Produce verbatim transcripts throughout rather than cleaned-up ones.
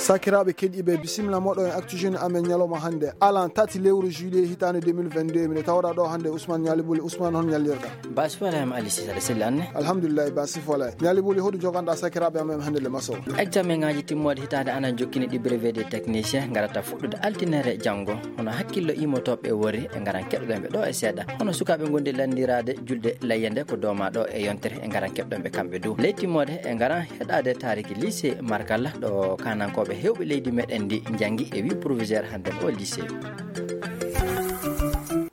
Sakiraaɓe keɗiiɓe, bisimilla moɗon e Actu Jeune amen ñalawma hannde, alan tati lewru juillet hitaande deux mille vingt-deux. Miɗo tawɗaa ɗo hannde Ousmane Ñaali Buli. Ousmane, hon ñallirɗaa? Basi Ibrahima Ali Sisare, selli anne? Alhamdulillahi, basi fola. Ñaali Buli, hoɗum joganɗaa sakiraaɓe amen hannde le maso? Examen ŋaaji timmooɗe hitaande ana jokkini ɗi brevet des techniciens ngarata fuɗɗude altinere janngo. Hono hakkillo immotooɓe wori e ngaran keɗoɗen ɓe ɗo e seeɗa. Hono sukaaɓe ngondi lanndiraade julde layya nde ko dooma ɗo e yontere e ngaran keɗoɗen ɓe kamɓe dow. Ley timmoode e ngaran heɗaade taariki lycée Markalla ɗo kaanankooɓe heewɓe leydi meɗen ndi njanngi e wi proviseur hannde o lycée.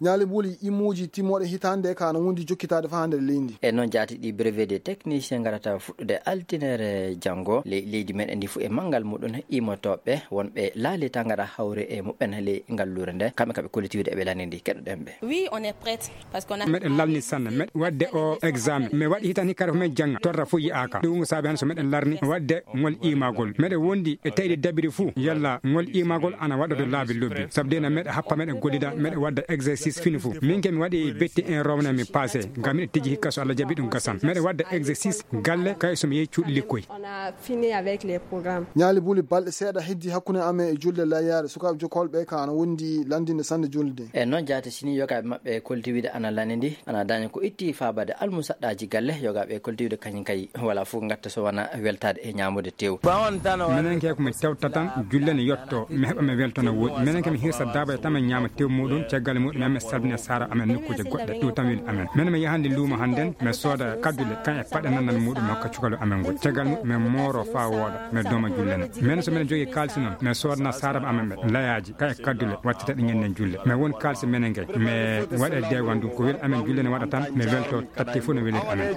Ñaali Buli, immooji timmooɗe hitaande ka no wondi jokkitaade faa hannde leydi. E noon jaati ɗi brevet des techniciens ngarata fuɗɗude altinere janngo. Ley-, leydi meɗen ndi fof e manngal muɗum immotooɓe wonɓe laali tan ngaɗa hawre e muɓɓen ley ngalluure nde. Kamɓe ka ɓe kolliti wiide eɓe lanndi ndi. Keɗoɗen ɓe. Oui, on est prête. Parce qu'on a Meɗen lalni sanne, meɗen waɗde o examen. Mi waɗi hitan hikka ko men jannga, torra fof yi'aaka. Ɗum ko saabi hannde so meɗen larni waɗde ngol iimagol. Meɗen wondi e taƴde dabiri fof, yalla ngol iimagol ana waɗa to laabi lobbi. Sabu de na meɗen happa, meɗen gollida, meɗen waɗda exercice fini fof. Min ke mi waɗi betti en rowna mi passé. Ngam miɗen tigi hikka so Allah jaɓi ɗum gasan. Meɗen waɗda exercice galle kay so mi yehi cuuɗi likkoy. On a fini avec les programmes. Ñaali Buli, balɗe seeɗa heddi hakkunde amen e julde layyaare. Sukaaɓe jokkolɓe ka ana wondi lanndinde sanne julde. E noon jaati sini yogaaɓe maɓɓe kolti wiide ana lanndi ndi, ana daña ko itti faabade almusaɗɗaaji galle, yogaaɓe kolti wiide kañum kay wala fof ngatta so wona weltaade e ñaamude tew. Menen ke ko mi tewta tan, julle ne yotto, mi heɓa mi welto no woɗi. Menen ke mi hirsa daaba e tan mi ñaama tew muɗum, caggal muɗum mi salmina saara amen nokkuuje goɗɗe, ɗum tan weli amen. Menen mi yahande luumo hannden, mi sooda kaddule, kan e paɗe nannan muɗum mi hokka cukalel amen ngol. Caggal muɗum mi mooro faa wooɗa, mi dooma julle ne. Menen so menen jogii kaalisi noon, mi soodana saara amen ɓe, layaaji, kan e kaddule, wattita ɗi ñannen julle. Mi won kaalisi menen ngey, mi waɗa deewan ɗum, ko weli amen julle ne waɗa tan, mi welto tatti fof no weliri amen.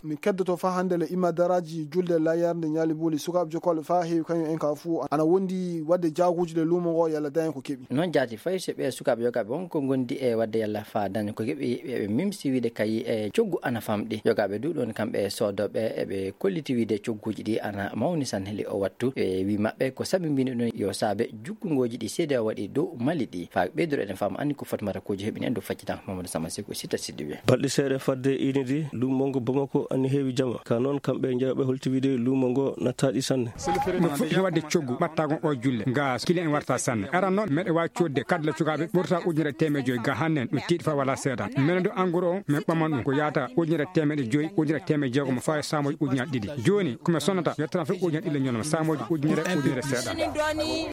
Min keddoto faa hannde le imadaraaji julde layyarde Ñaali Buli, sukaaɓe jokkolɓe faa heewi kañum en ka fuu ana wondi waɗde jaaguuji le luumo ngo yalla daña ko keɓi. Noon jaati fay so ɓe sukaaɓe yogaaɓe won ko ngondi e waɗde yalla faa daña ko keɓi, ɓe, ɓe mimsi wiide kay e coggu ana famɗi. Yogaaɓe du ɗoon kamɓe soodooɓe eɓe kolliti wiide cogguuji ɗi ana mawni sanne le o wattu. E wi maɓɓe ko sabi mbini ɗum yo saabe jukkungooji ɗi seede o waɗi dow Mali ɗi. Faa ɓeydoro eɗen faama anni ko Fatumata Kojo heɓini en dow faccitan Mamadou Sama Seku e Sita Siddiɓe. Balɗe seeɗa fadde inidi, luumo ngo Bamako anni heewi jama. Ka noon, kamɓe njeyooɓe holti wiide luumo ngo nattaaɗi sanne. Ɗum fuɗɗi waɗde coggu ɓattaago o julle. Ga kiliyan en warta sanne. Aran noon, meɗe waawi coodde kadle cukaaɓe ɓurta ujunere teemeɗe joyi. Ga hannen, ɗum tiiɗi fa wala seeɗa. Menen ɗo anguro o, min ɓaman ɗum ko yaata ujunere teemeɗe joyi, ujunere teemeɗe jeegom, faa e saamooji ujunere ɗiɗi. Jooni, ko mi sonata, yettan fof ujunere ɗiɗi ñoloma, saamooji ujunere, ujunere seeɗa.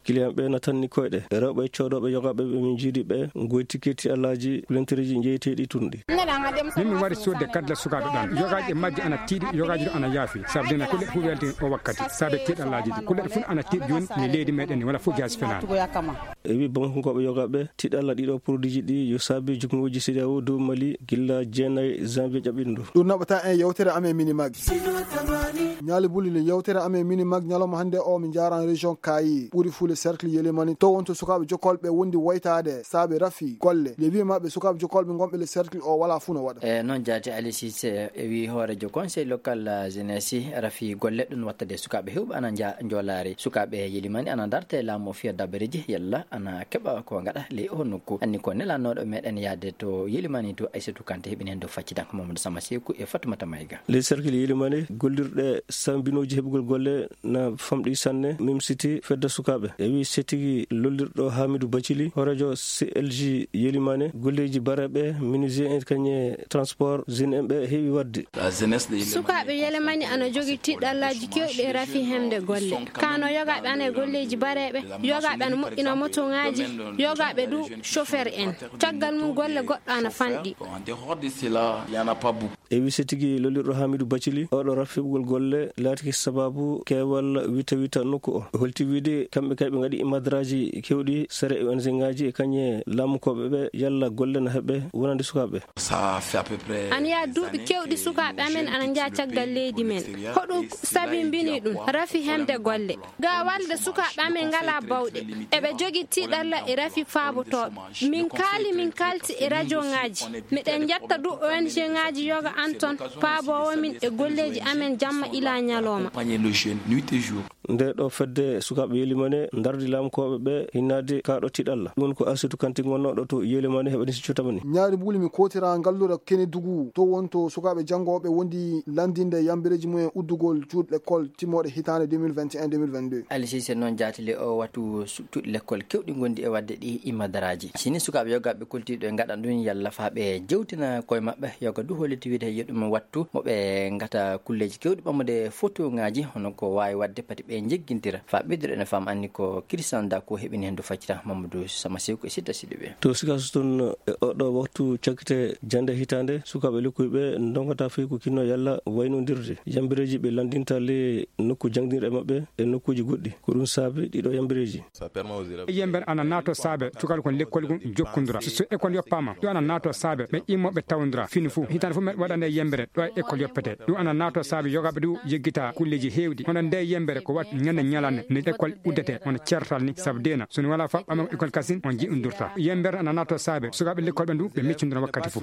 Kiliyan ɓe natanni koyɗe. Rewɓe coodooɓe yogaaɓe ɓe min njiidi ɓe, ngoy tiketi alaaji kulentereeji jeyeteeɗi tun ɗi. Min mi wari soodde kadle sukaaɓe ɗan. Yogaaji e majji ana tiiɗi, yogaaji ɗo ana yaafi. Sabu dina kulle fof welti o wakkati. Sabu tiiɗalaaji ɗi. Kulle fof ana tiiɗi jooni, ni leydi meɗen ni, wala fof jaasi fenaani. E wi Bamakonkooɓe yogaaɓe, tiiɗalla ɗiɗo produit ji ɗi yo saabi jukngooji C E D E A O dow Mali gilla jeenayi janvier ƴaɓɓiɗo ndu. Ɗum naɓata en yewtere amen Minimag. Ñaali Buli le yewtere amen Minimag ñalawma hannde o, min njaaran région Kayi, ɓuri fuu le cercle Yelimani. To wonto sukaaɓe jokkolɓe wondi woytaade saabe rafi golle. Le wi maɓɓe sukaaɓe jokkolɓe ngonɓe le cercle o wala fuu no waɗa. E noon jaati Ali Cissé e wi hooreejo conseil local, eh, jeunesse, rafi golle ɗum wattade sukaaɓe heewɓe ana nja-, njoolaari. Sukaaɓe Yelimani ana darte laamu o fiya dabareeji yalla ana keɓa ko ngaɗa ley o nokku. Anni ko nelanooɗo meɗen yaade to Yelimani to Aissatou Kanté heɓini heen dow faccitanko Mamadou Sama Seku e Fatoumata Mayga. Les cercles Yelimani gollirɗe sambinooji heɓugol golle na famɗi sanne, mimsiti fedde sukaaɓe. E wi setigi lollirɗo Hamidou Bacili, hooreejo C L G Yelimani, golleeji bareeɓe, menuisier en kañe transport, jeune en ɓe heewi waɗde. Sukaaɓe Yelemani ana jogi tiɗɗallaaji keewɗi e rafi hemde golle. Kano yogaaɓe ana e golleeji bareeɓe, yogaaɓe ana moƴƴina motoŋaaji, yogaaɓe du chauffeur en. Caggal mum golle goɗɗo ana fanɗi. E wi setigi lollirɗo Hamidou Bacili, oɗo rafi heɓugol golle laatiki sababu keewal wita wita nokku o. Holti wiide kamɓe kay ɓe ngaɗi imadraaji keewɗi sere O N G ŋaaji e kañe laamukooɓe ɓe yalla golle na heɓe wonande sukaaɓe. Ana yaa duuɓi keewɗi sukaaɓe amen ana njaha caggal leydi men. Hoɗum sabi mbini ɗum? Rafi hemde golle. Ga walde sukaaɓe amen ngalaa bawɗe. Eɓe jogi tiɗalla e rafi faabotooɓe. Min kaali, min kaalti e rajo ŋaaji. Miɗen njetta du O N G ŋaaji yoga an ton paaboowo min e golleeji amen jamma ila ñalooma. nde ɗo fedde sukaaɓe Yelimane ndardi laamkooɓe ɓe hinnaade kaaɗo tiiɗalla. Ɗum woni ko Asitu Kanti gonnooɗo to Yelimane heɓani si cuutamani. Ñaari buuli mi kootira ngallure Kenedugu to wonto sukaaɓe janngooɓe wondi lanndinde yambireeji mumen uddugol cuuɗi lekkol timmooɗe hitaande deux mille vingt et un deux mille vingt-deux. Aliou Cissé, noon jaatile o wattu su-, cuuɗi lekkol keewɗi ngondi e waɗde ɗi imadaraaji. Sini sukaaɓe yogaaɓe koltiiɗo e ngaɗan ɗum yalla faa ɓe jewtina koye maɓɓe yoga du holliti wiide yo ɗum wattu mo ɓe ngata kulleeji keewɗi ɓammude fotoŋaaji hono ko waawi waɗde pati ɓe njeggintira. Faa ɓeydude ene faam anni ko Christian Dako heɓini heen du faccita Mamadou Samasew ko e Sitta Sidibe. To Sikaso toon e oɗo waktu cakkite jannde hitaande sukaaɓe lekkoy ɓe ndongata fii ko kinno yalla waynodirde yambireeji ɓe lanndinta le nokku jangdinɗe maɓɓe e nokkuuji goɗɗi. Ko ɗum saabi ɗiɗo yambireeji. Yember ana naato saabe cukal kon lekkol gon jokkondura. So, so ekol yoppaama, ɗum ana naato saabe ɓe immoɓe tawondura fini fuu. Hitaande fuu meɗe waɗande yembere ɗo e ekol yoppete. Ɗum ana naato saabe yogaaɓe du yeggita kulleeji heewɗi. Hono nde yembere ko wat ñande ñalande nde ekol uddete hono ceertal ni sabu deena. So ni wala faɓɓama ekol kasin on ji'undurta. Yembere ana naato saabe sukaaɓe lekkol ɓe du ɓe miccondura wakkati fuu.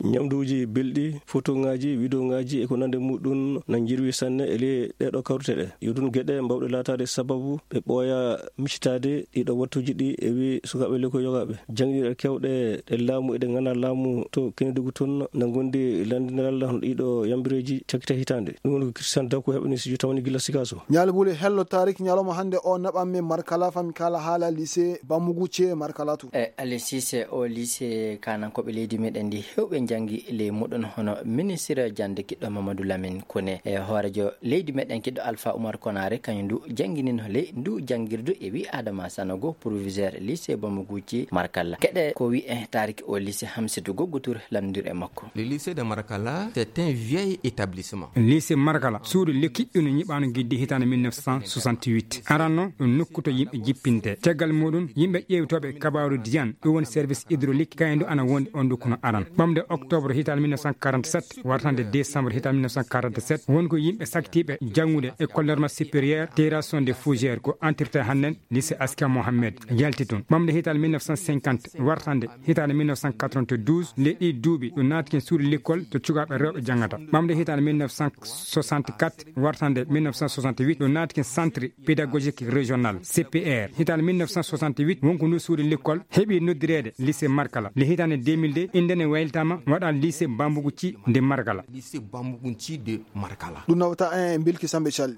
Ñamduuji belɗi, fotoŋaaji, widoŋaaji e ko nande muɗum na njirwi sanne e ley ɗeeɗo kawrite ɗe. Yo ɗum geɗe mbawɗe laataade sababu ɓe ɓooya miccitaade ɗiɗo wattuuji ɗi e wi sukaaɓe lekkoy yogaaɓe. Jannginirɗe keewɗe ɗe laamu e ɗe nganaa laamu to Kenedugu toon na ngondi lanndinal hono ɗiɗo yambireeji cakkite hitaande. Ɗum woni ko Christian Dako heɓani si tamani gila Sikaso. Ñaali bule hello tarik ñalawma hannde o naɓan men Markala fami kala haala lycée Bamugu ce Markala to. E Aliou Cissé o lycée kanankooɓe leydi meɗen ndi heewɓe njanngi ley muɗum hono ministre jannde kiɗɗo Mamadou Lamine Koné e hoorejo leydi meɗen kiɗɗo Alpha Oumar Konaré kañum du jannginino ley ndu janngirdu e wi Adama Sanogo proviseur lycée Bamugu ce Markala. Keɗe ko wi e tarik o lycée Hamsidou Goggo Touré lamndir e makko. Le lycée de Markala, c'est un vieil établissement. Lycée Markala, suudu le kiɗɗuno ñiɓaano giddi hitaande mille neuf cent soixante-huit. Aranno ɗum nokku to yimɓe jippinte. Caggal muɗum, yimɓe ƴeewtooɓe kabaaru Diane, ɗum woni service hydraulique, kayen du ana wondi on nokku no aran. Ɓamde octobre hitaande mille neuf cent quarante-sept, wartande décembre hitaande mille neuf cent quarante-sept, won ko yimɓe saktiiɓe janngude école normale supérieure, terrasse de fougère ko entretien hannden, lycée Aska Mohamed yalti toon. Ɓamde hitaande mille neuf cent cinquante, wartande hitaande mille neuf cent quatre-vingt-douze, nde ɗi duuɓi ɗo naati ken suudu lekkol to cukaaɓe rewɓe janngata. Ɓamde hitaande mille neuf cent soixante-quatre, wartande mille neuf cent soixante-huit, ɗo naati ken centre pédagogique régional, C P R. Hitaande mille neuf cent soixante-huit, won ko ndu suudu lekkol heɓi noddireede lycée Markala. Le hitaande deux mille deux, innde ne waylitaama waɗa lycée Bambugu ci de Markala. Lycée Bambugu ci de Markala. Ɗum nawata en e Bilki Sambe Calli.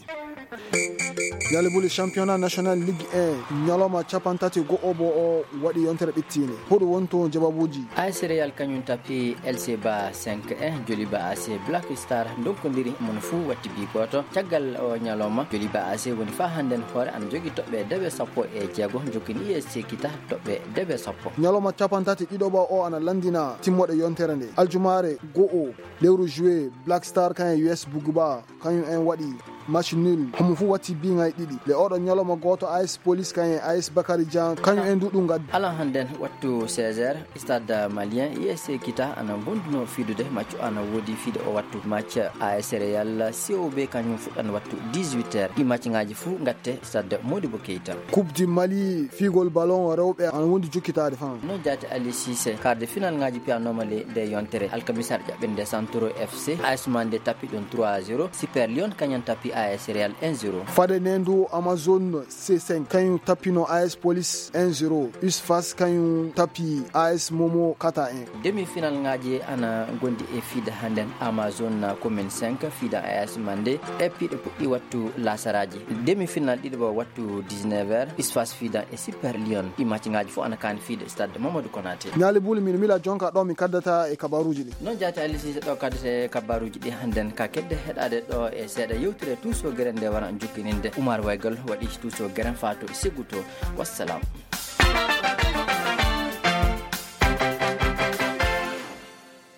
Yalibuli championnat national Ligue un, ñalawma capanɗe tati go'o bo o waɗi yontere ɓittiinde. Hoɗum wonto jawabuuji? A S Real kañum tapi L C Ba cinq un, Joliba A C Black Star ndonkondiri, mon fuu watti bi gooto. Caggal o ñalawma, Joliba A C woni faa hannden hoore ana jogi toɓɓe dewe sappo e jeego, jokkini U S C Kita toɓɓe dewe sappo. Ñalawma capanɗe tati ɗiɗo ɓawo o ana lanndina timmoɗe yontere nde. Aljumaare go'o lewru juillet, Black Star kañum U S Buguba kañum en waɗi match nul, homo fuu watti biŋay ɗiɗi. Le oɗo ñalawma gooto, A S Police kañum en A S Bakary Jean kañum en du ɗum ngaddi. Alan hannden wattu seize heures, Stade Malien, U S C Kita ana gonduno fiidude match, ana woodi fiide o wattu match. A S Real C O B kañum fuɗɗan wattu dix-huit heures. Ɗi match ŋaaji fuu ngatte Stade Modibo Keita. Coupe du Mali, fiigol ballon rewɓe ana wondi jokkitaade fan. No jaati Ali Cissé, quart de finale ŋaaji piyanooma le nde yontere. Alkamisa ɓennde Santoro F C, A S Mande tapi ɗum trois zéro. Super Lion kañum tapi A S Real un zéro. Fade ndu Amazon C cinq kañum tappino A S Police un zéro. U S F A S kañum tapi A S Momo Kata un. Demi-finale ŋaaji ana ngondi e fiide hannden. Amazon commune cinq fiida A S Mande e piiɗe puɗɗi wattu lasaraaji. Demi-finale ɗiɗo wattu dix-neuf heures, U S F A S fiida e Super Lion. Ɗi match ŋaaji fof ana kaani fiide Stade Mamadou Konaté. Ñaali Buli, min Mila jonka ɗo mi kaddata e kabaruuji ɗi. Noon jaati Ali Cissé, ɗo kaddete e kabaruuji ɗi hannden ka kedde heɗaade ɗo e seeɗa yewtere Tuuso Gere nde wara jokkininde. Oumar Waygal waɗi Tuuso Gere faa to Seguto. Wassalam.